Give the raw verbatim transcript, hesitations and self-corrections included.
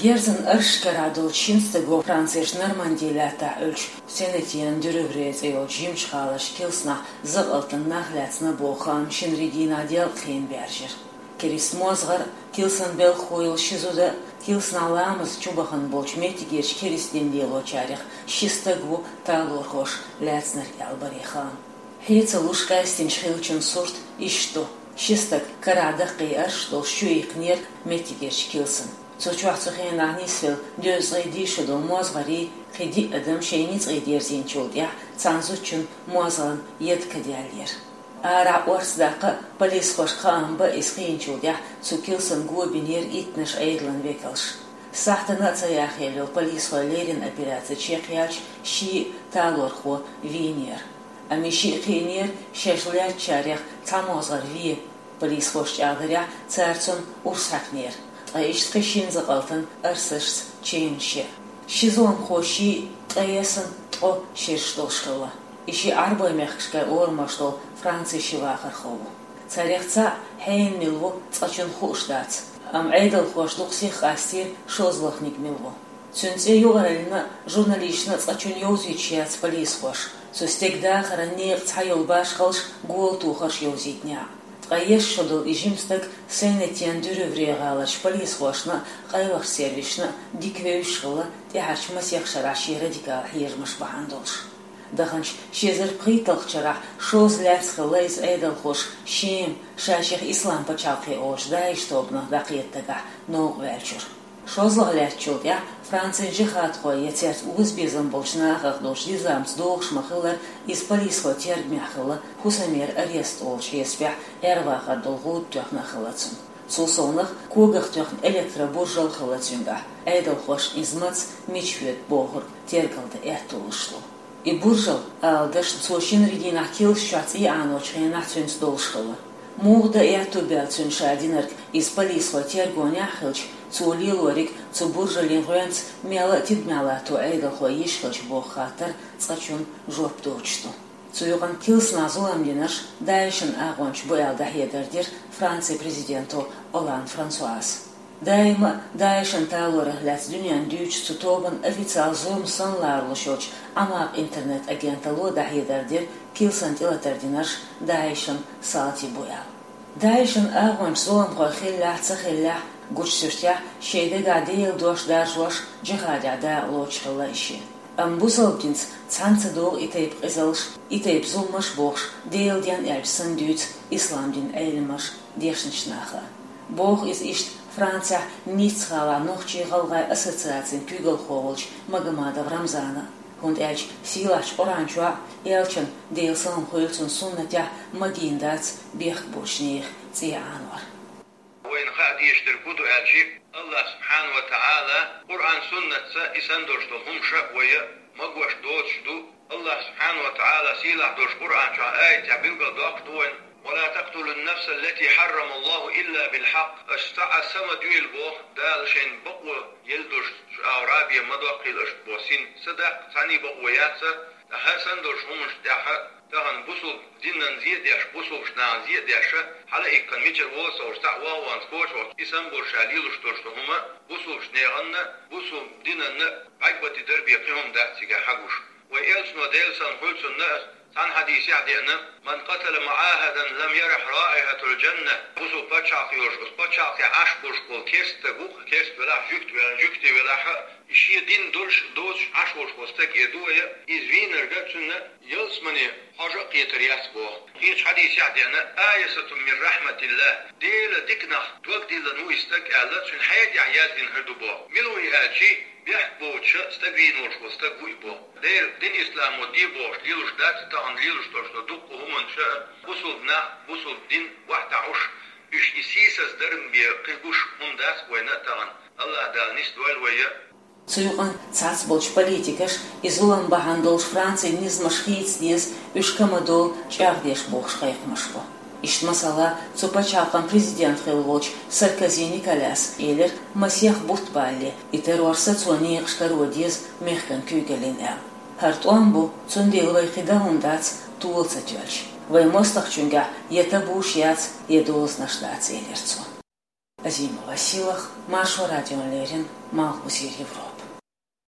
Герзан арш карахь долчу шина стага Францерчу Норманди лаьттахь Ӏуьллучу Сен-Этьен-дю-Рувре цӀе йолчу жимачу гӀалара Килсанахь закъалтана нах лаьцна боху хаам шина регионехь делкъа хенахь баьржира. Керста мозгӀар, Килсан белхахо йолу ши зуда, Килсанахь ламаз чу бахана болчу меттигерчу керста дин лелочарех ши стаг ву талорхоша лаьцнарг аьлла баре хаам. Хье ца луш къаьстинчу хиллачун сурт иштта ду: ши стаг карахь даккхий арш долуш чуиккхинера меттигерчу Килсан. Цу чохь цу хенахь нисвелла дезткъе диъ шо долу мозгӀарий, кхин диъ адам шайн ницкъе дерзийначул тӀаьхьа цхьана зудчун мозгӀарна яд каделлера. Арахь орца даккха полисхошка хаам бан иза кхиъначул тӀаьхьа цу Килсан го бинера иттаннаш Ӏедалан векалша. Сахьтана а ца яхъелла йолу полисхой леррина операци чекхъяьлча, ши талорхо вийнера. Амма и шиъ кхиънера шаьш лаьцначарех цхьа мозгӀар вен. Полисхоша чӀагӀдарехь, цара цунна урс хьаькхнера. Ткъа иштта кхин шина закъалтана арсашца ченаш яра. Ши зуламхо шиъ ткъе ялсаманин ткъо шераш долуш хилла. И шиъ Ӏарбойн мехкашкара орамаш долу Францин ши вахархо ву. Царех цхьаъ хьенан мила ву цкъачунна хууш дац, амма Ӏедалхоша дукха сиха къастийра шозлагӀниг мила ву. Цуьнан цӀе юкъараллина а, журналисташна а цкъачунна йовзуьйтуш яц полисхоша. Цу стеган дахаран некъан цхьайолу башхаллаш, гола тухарш йовзийтинехь а. Ткъа еш шо долу и жима стаг Сен-Этьен-дю-Рувре гӀаларчу полисхошна а, къайлахчу сервисашна а дика вевзаш хилла, тӀаьхьарчу масех шарахь шен радикал хьежамаш бахьана долуш. Даханчу ши эзар пхийтталгӀачу шарахь шозза лаьцна хилла иза Ӏедалхоша Шема, ша-шех Ислам пачхьалкхе олучу ДАИШ тобанах дӀакхета дагахь новкъа ваьллачуьра. ШозлагӀа лаьцначул тӀаьхьа Францин жихӀадхой я цаьрца озабезам болчу нахах долчу низамца догӀуш ма-хиллара, иза полисхойн тергамехь хилла, хӀусамера арест олучу хьесапехь Ӏер-вахар долу гӀуда тоьхна а хилла цунна. Цул совнаха когах тоьхна электробуржал а хилла цуьнгахь, Ӏедалхоша иза маца, мича хьоьду бохург тергалдан аьтто луш ду. И буржал, ала дашна, цо шина регионехь Килс чохь цӀий Ӏаночу хенахь цуьнца долуш хилла. Муха дан аьтто баьлла цуьнан ша динарг, иза полисхойн тергонехь а хилча, цо лелориг цу буржалан гӀоьнца мелла а тидамехь латто Ӏедалхой йиш хилча боху хаттар цкъачунна жоп доцуш ду. Цу юкъана Килсанахь зулам динарш ДАИШан агӀончаш бу аьлла дӀахьедар дира Францин президенто Олланд Франсуас. Даима а ДАИШан талорах лаьцна дуьненна дуьйцучу цу тобанан официалан зурма санна ларалуш йолчу Ӏамакъ интернет-агенталло дӀахьедар дира Килсан тӀелатар динарш ДАИШан салтий бу аьлла. ДАИШан агӀончаш зуламхой хиллехь а, ца хиллехь а, гучу суьртехь, шайн дегахь Делан дош даржош, джихӀадехь дакъа лоцуш хилла и шиъ. Амма бусалба динца цхьаьна ца догӀу и тайпа къизаллаш, и тайпа зуламаш бохуш, Делан денна аьлча санна дуьйцу ислам динан Ӏеламнаха дешначу наха. Боху иза иштта Францехь Ницца гӀалахь нохчийн-гӀалгӀайн ассоциацин куьйгалхо волчу Магомадов Рамзана. ХӀунда аьлча сийлахьчу Къуръан чохь а, элчанан, Делан салам хуьлда цунна, суннатехь а магийна дац бехк боцучу нехан цӀий Ӏанор. Вайна хаа дезаш дерг хӀун ду аьлча, АллахӀ субхьанаху ва таӀала Къуръан-суннатца и санна долуш долу хӀумаш а вай магош доцуш ду. АллахӀ субхьанаху ва таӀала сийлахь долчу Къуръан чохь аятехь билгалдоккхуш ду вайна: «Ва ла такътулун-нафсал-лати хьаррамаллахӀу илла бил-хьакъ». Аша цхьа а са ма доьлла боху, Дала шайна бакъо елла долуш, шу агӀор а бен ма доккхийла аша боху син. Са даккха цхьаьнний бакъо яц, ткъа хӀара санна долчу хӀуманаш тӀехь а тахана бусулба динан зе а деш, бусулбачу нахана зе а деш, хьала а иккхина мичара волу а ца хууш, цхьаъ ван-ван коча волчу, и санна болуш ша лелош долуш долу хӀума бусулбачу нахана, бусулба динана бӀаьрг бан тӀе дарбе кхин хӀума дац цигахь хьагуш. Вайн элчано, Делан салам хуьлда цунна, цхьана хьадисехь деана: «Ман къатала муӀахӀадан лам ярихь раихьатал-джанна». Бусулба пачхьалкх йолуш, оцу пачхьалкхехь Ӏаш болуш болу керста стаг ву-кх, керста велахь а, жуьгти велахь а, жуьгти велахь а, и шен дин долуш, доцуш Ӏаш волуш волу стаг, э, ду вай, иза вийнарг а, цунна ялсамане хьожа а кхетар яц боху. Кхечу хьадисехь деана: «Айисатун мин рахьматиллахӀ». Делан диканах дог диллина ву и стаг аьлла, цуьнан хье тӀехь яздина хир ду боху. Мила ву и аьлча, бехк боцуша стаг вийна волуш волу стаг ву и боху. Делан дин исламо де бохуш лелош дац тахана лелош долуш долу дуккха хӀуманаш а, бусулба нах, бусулба дин охьатаӀуш, уьш и сийсаз дарбан бен кхин гуш хӀума дац вайна а тахана. АллахӀ Дала нисдойла вай а. Цу юкъана цхьацца болчу политикаша и зулам бахьана долуш Францин низамаш хийца деза, уьш ка ма долу чӀагӀдеш бохуш кхайкхамаш бо. Иштта, масала, цу пачхьалкхан президент хилла волчу Саркози Николяса элира, масех бутт балале, и террор сацо некъаш каро деза мехкан куьйгаллин аьлла. ХӀара тӀом бу, цундела вай кхин дан хӀума дац тола ца тоьлча. Вайн мостагӀчуьнгахь я табуш яц, я дозанаш дац, элира цо. Азимова Сийлах, Маршо радион лерэн, Малхбузер Европа.